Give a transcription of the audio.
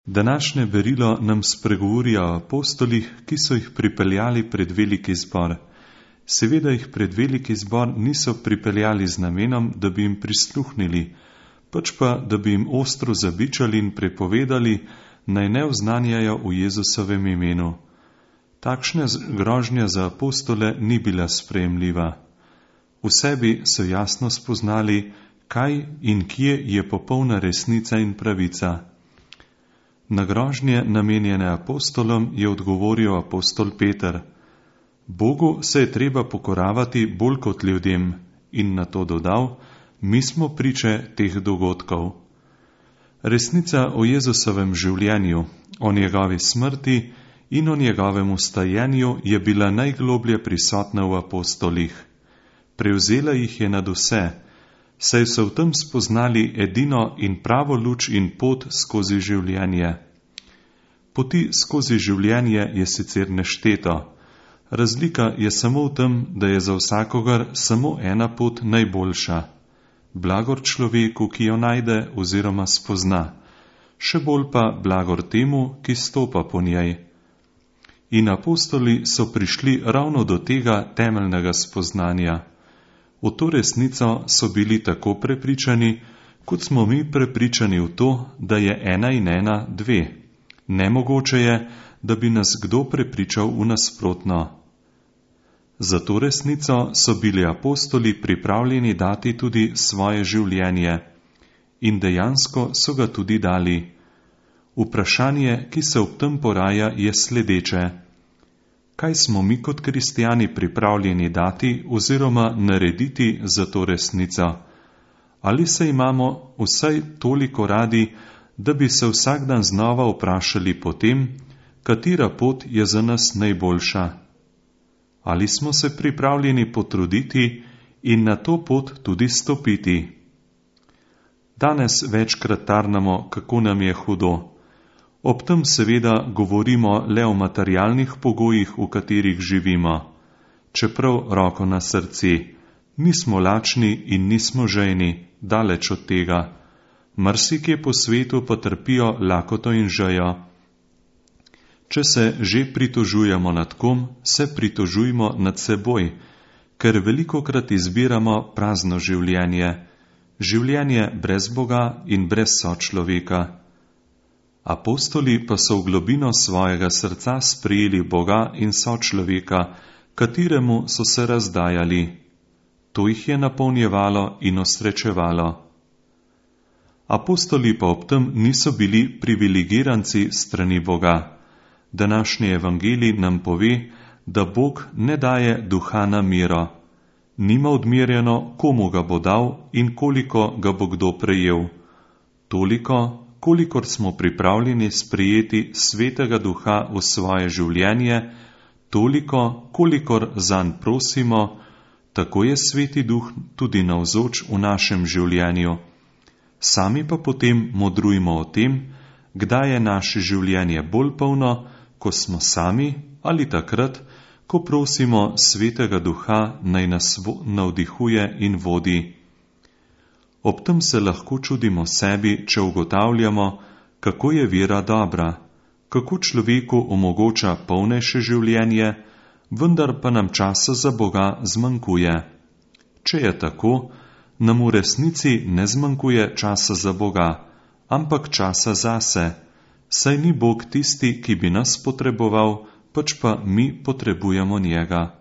Današnje berilo nam spregovori o apostolih, ki so jih pripeljali pred veliki zbor. Seveda jih pred veliki zbor niso pripeljali z namenom, da bi jim prisluhnili, pač pa, da bi jim ostro zabičali in prepovedali, naj ne oznanjajo v Jezusovem imenu. Takšna grožnja za apostole ni bila sprejemljiva. V sebi so jasno spoznali, kaj in kje je popolna resnica in pravica. Na grožnje namenjene apostolom je odgovoril apostol Peter: Bogu se je treba pokoravati bolj kot ljudem, in na to dodal: mi smo priče teh dogodkov. Resnica o Jezusovem življenju, o njegovi smrti in o njegovem vstajenju je bila najgloblje prisotna v apostolih. Prevzela jih je nad vse, saj so v tem spoznali edino in pravo luč in pot skozi življenje. Poti skozi življenje je sicer nešteto, razlika je samo v tem, da je za vsakogar samo ena pot najboljša. Blagor človeku, ki jo najde oziroma spozna, še bolj pa blagor temu, ki stopa po njej. In apostoli so prišli ravno do tega temeljnega spoznanja. V to resnico so bili tako prepričani, kot smo mi prepričani v to, da je 1 in 1 2. Nemogoče je, da bi nas kdo prepričal v nasprotno. Za to resnico so bili apostoli pripravljeni dati tudi svoje življenje in dejansko so ga tudi dali. Vprašanje, ki se ob tem poraja, je sledeče: kaj smo mi kot kristjani pripravljeni dati oziroma narediti za to resnico? Ali se imamo vsaj toliko radi, da bi se vsak dan znova vprašali po tem, katera pot je za nas najboljša? Ali smo se pripravljeni potruditi in na to pot tudi stopiti? Danes večkrat tarnamo, kako nam je hudo. Ob tem seveda govorimo le o materialnih pogojih, v katerih živimo. Čeprav, roko na srce, nismo lačni in nismo žejni, daleč od tega. Marsikje po svetu pa trpijo lakoto in žejo. Če se že pritožujemo nad kom, se pritožujmo nad seboj, ker velikokrat izbiramo prazno življenje, življenje brez Boga in brez sočloveka. Apostoli pa so v globino svojega srca sprejeli Boga in sočloveka, kateremu so se razdajali. To jih je napolnjevalo in osrečevalo. Apostoli pa ob tem niso bili privilegiranci strani Boga. Današnji evangelij nam pove, da Bog ne daje duha na mero. Nima odmerjeno, komu ga bo dal in koliko ga bo kdo prejel. Toliko, kolikor smo pripravljeni sprejeti svetega duha v svoje življenje, toliko, kolikor zanj prosimo, tako je sveti duh tudi navzoč v našem življenju. Sami pa potem modrujmo o tem, kdaj je naše življenje bolj polno, ko smo sami, ali takrat, ko prosimo svetega duha, naj nas navdihuje in vodi. Ob tem se lahko čudimo sebi, če ugotavljamo, kako je vera dobra, kako človeku omogoča polnejše življenje, vendar pa nam časa za Boga zmanjkuje. Če je tako, nam v resnici ne zmanjkuje časa za Boga, ampak časa zase, saj ni Bog tisti, ki bi nas potreboval, pač pa mi potrebujemo njega.